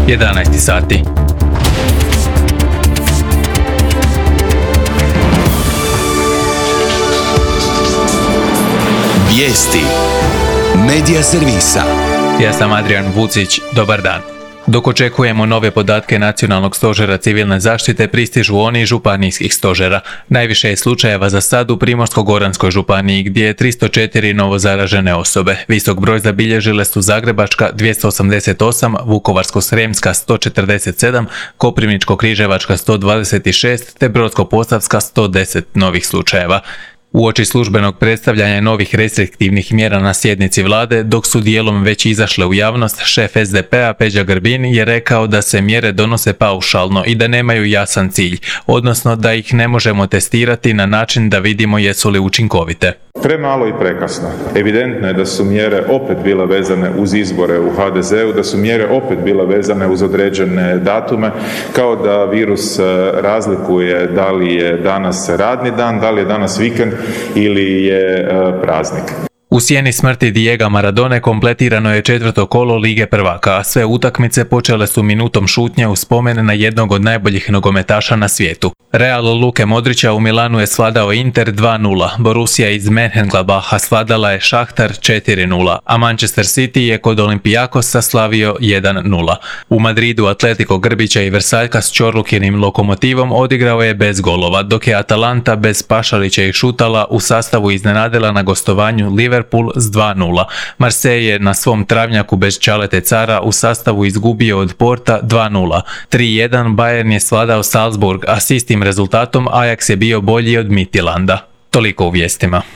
11 sati. Vijesti Medija servisa. Ja sam Adrian Vucić, dobar dan. Dok očekujemo nove podatke Nacionalnog stožera civilne zaštite, pristižu oni iz županijskih stožera. Najviše je slučajeva za sad u Primorsko-goranskoj županiji, gdje je 304 novo zaražene osobe. Visok broj zabilježile su Zagrebačka 288, Vukovarsko-srijemska 147, Koprivničko-križevačka 126 te Brodsko-posavska 110 novih slučajeva. Uoči službenog predstavljanja novih restriktivnih mjera na sjednici vlade, dok su dijelom već izašle u javnost, šef SDP-a Peđa Grbin je rekao da se mjere donose paušalno i da nemaju jasan cilj, odnosno da ih ne možemo testirati na način da vidimo jesu li učinkovite. Premalo i prekasno. Evidentno je da su mjere opet bile vezane uz izbore u HDZ-u, da su mjere opet bile vezane uz određene datume, kao da virus razlikuje da li je danas radni dan, da li je danas vikend ili je praznik. U sjeni smrti Diega Maradone kompletirano je 4. kolo Lige prvaka, a sve utakmice počele su minutom šutnje u spomen na jednog od najboljih nogometaša na svijetu. Real Luke Modrića u Milanu je svladao Inter 2:0, Borussia iz Mönchengladbacha svladala je Šahtar 4:0, a Manchester City je kod Olympiakosa slavio 1:0. U Madridu Atletico Grbića i Versaljka s Čorlukinim Lokomotivom odigrao je bez golova, dok je Atalanta bez Pašalića i Šutala u sastavu iznenadila na gostovanju Liverpool s 2:0. Marseille je na svom travnjaku bez Čalete Cara u sastavu izgubio od Porta 2:0. 3:1 Bayern je svladao Salzburg, a s istim rezultatom Ajax je bio bolji od Midtjylanda. Toliko u vijestima.